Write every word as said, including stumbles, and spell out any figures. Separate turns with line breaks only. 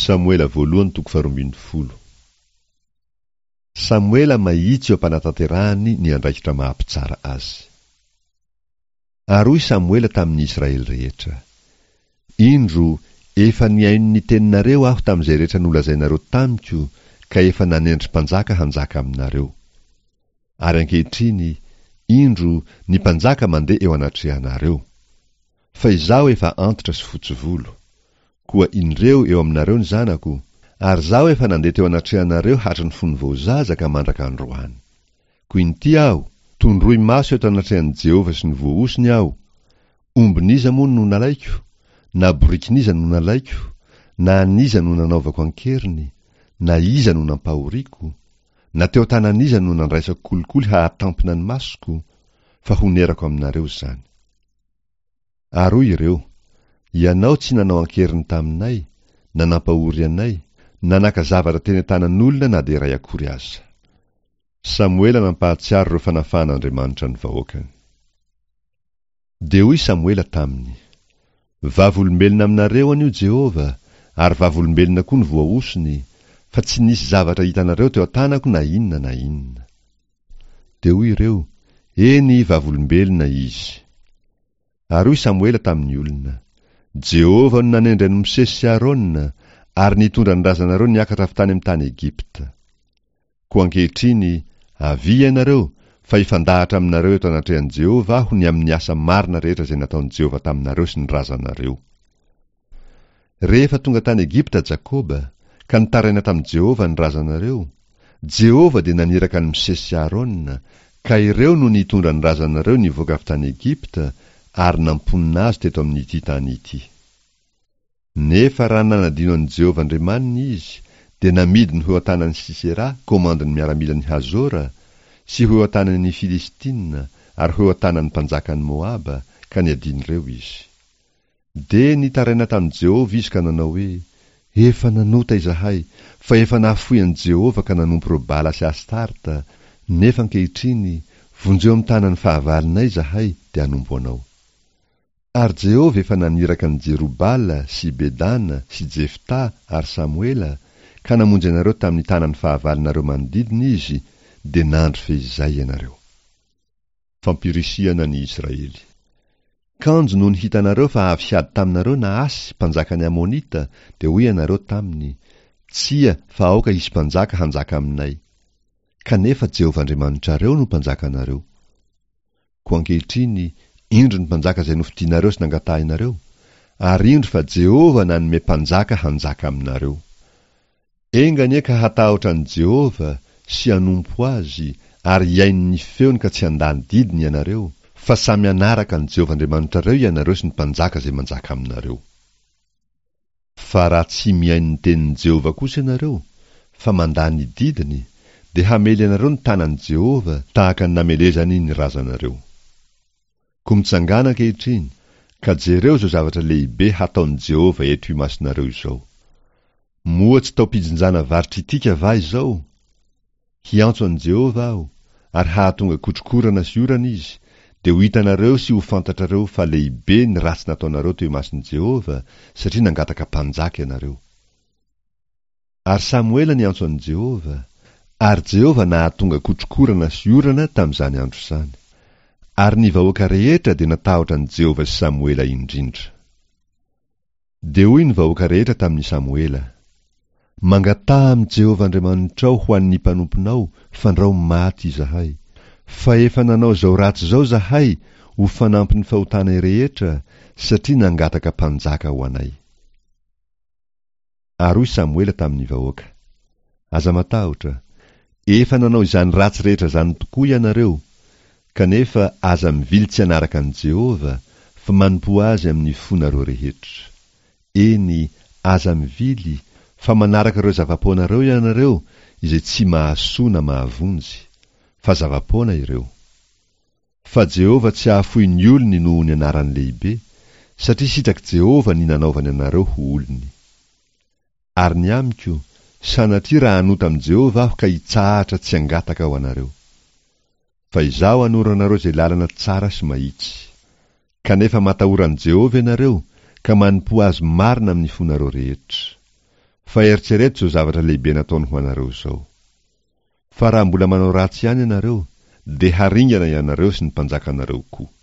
Samoela voalohany toko faharoa ambin'ny folo. Samoela mahitsy eo am-panatanterahany ny andraikitra maha mpitsara azy. Ary hoy Samoela tamin'ny Israely rehetra, Indro, efa nihaino ny teninareo aho tamin'izay rehetra nolazainareo tamiko, ka efa nanendry mpanjaka hanjaka aminareo. Ary ankehitriny, indro, ny mpanjaka mandeha eo anatrehanareo. Fa izaho efa antitra sy fotsy volo. Koa indreo eo aminareo ny zanako, ary izaho efa nandeha teo anatrehanareo hatry ny fony vao zaza ka mandraka androany. Koa inty aho, tondroy maso eto anatrehan'i Jehovah sy ny voahosony aho. Ombin'iza moa no nalaiko? Na borikin'iza no nalaiko? Na an'iza no nanaovako an-keriny? Na iza no nampahoriako? Na teo an-tanan'iza no nandraisako kolikoly hahatampina ny masoko? Fa honerako aminareo izany. Ary hoy ireo, Ianao tsy nanao an-keriny taminay, na nampahory anay, na naka zavatra teny an-tanan'olona na dia iray akory aza. Samoela nampahatsiaro ireo fanafahan'Andriamanitra ny vahoakany. Dia hoy Samoela taminy, Vavolombelona aminareo anio Jehovah, ary vavolombelona koa ny voahosony, fa tsy nisy zavatra hitanareo teo an-tanako na inona na inona. Dia hoy ireo, Eny, vavolombelona izy. Ary hoy Samoela tamin'ny olona, Jehovah no nanendry an'i Mosesy sy Arona, ary nitondra ny razanareo niakatra avy tany amin'ny tany Egypta. Koa ankehitriny, avia ianareo, fa hifandahatra aminareo eto anatrehan'i Jehovah aho ny amin'ny asa marina rehetra izay nataon'i Jehovah taminareo sy ny razanareo. Rehefa tonga tany Egypta Jakoba, ka nitaraina tamin'i Jehovah ny razanareo, Jehovah dia naniraka an'i Mosesy sy Arona, ka ireo no nitondra ny razanareo nivoaka avy tany Egypta ary namponina azy teto amin'ity tany ity. Nefa raha nanadino an'i Jehovah Andriamaniny izy, dia namidiny ho eo an-tanan'i Sisera, komandin'ny miaramilan'i Hazora, sy ho eo an-tanan'ny Filistina, ary ho eo an-tanan'ny mpanjakan'i Moaba, ka niadian'ireo izy. Dia nitaraina tamin'i Jehovah izy ka nanao hoe, Efa nanota izahay, fa efa nahafoy an'i Jehovah ka nanompo ireo Bala sy Astarta, nefa ankehitriny, vonjeo amin'ny tanan'ny fahavalonay izahay, dia hanompo anao. Ary Jehovah efa naniraka an'i Jerobala sy Bedana sy Jefta ary Samoela, ka namonjy anareo tamin'ny tanan'ny fahavalonareo manodidina Izy, dia nandry feizay ianareo. Fampirisihana ny Israely. Kanjo nony hitanareo fa avy hiady taminareo Nahasy, mpanjakan'ny Amonita, dia hoy ianareo taminy, Tsia, fa aoka hisy mpanjaka hanjaka aminay. Kanefa Jehovah Andriamanitrareo no mpanjakanareo. Koa ankehitriny, indro ny mpanjaka izay nofidinareo sy nangatahinareo, ary indro fa Jehovah nanome mpanjaka hanjaka aminareo. Enga anie ka hatahotra an'i Jehovah sy hanompo Azy ary hihaino ny feony ka tsy handà ny didiny ianareo, fa samy hanaraka an'i Jehovah Andriamanitrareo ianareo sy ny mpanjaka izay manjaka aminareo. Fa raha tsy mihaino ny tenin'i Jehovah kosa ianareo, fa mandà ny didiny, dia hamely anareo ny tanan'i Jehovah tahaka ny namelezany ny razanareo. Koa mitsangàna ankehitriny, ka jereo izao zavatra lehibe hataon'i Jehovah eto imasonareo izao. Moa tsy taom-pijinjana vary tritika va izao? Hiantso an'i Jehovah aho, ary hahatonga kotrokorana sy orana izy, dia ho hitanareo sy ho fantatrareo fa lehibe ny ratsy nataonareo teo imason'i Jehovah, satria nangataka mpanjaka ianareo. Ary Samoela niantso an'i Jehovah, ary Jehovah nahatonga kotrokorana sy orana tamin'izany andro izany. Ary ny vahoaka rehetra dia natahotra an'i Jehovah sy Samoela indrindra. Dia hoy ny vahoaka rehetra tamin'i Samoela, Mangataha amin'i Jehovah Andriamanitrao ho an'ny mpanomponao, fandrao maty izahay. Fa efa nanao izao ratsy izao izahay ho fanampin'ny fahotanay rehetra, satria nangataka mpanjaka ho anay. Ary hoy Samoela tamin'ny vahoaka, Aza matahotra, efa nanao izany ratsy rehetra izany tokoa ianareo, kanefa aza mivily tsy hanaraka an'i Jehovah, fa manompoa Azy amin'ny fonareo rehetra. Eny, aza mivily, fa manaraka ireo zava-poanareo ianareo, izay tsy mahasoa na mahavonjy, fa zava-poana ireo. Fa Jehovah tsy hahafoy ny olony noho ny anarany lehibe, satria sitrak'i Jehovah ny nanaovany anareo ho olony. Ary ny amiko, sanatria raha hanota amin'i Jehovah aho ka hitsahatra tsy hangataka ho anareo. Fa izaho hanoro anareo izay lalana tsara sy mahitsy. Kanefa matahora an'i Jehovah ianareo, ka manompoa Azy marina amin'ny fonareo rehetra. Fa eritrereto izao zavatra lehibe nataony ho anareo izao. Fa raha mbola manao ratsy ihany ianareo, dia haringana ianareo sy ny mpanjakanareo koa.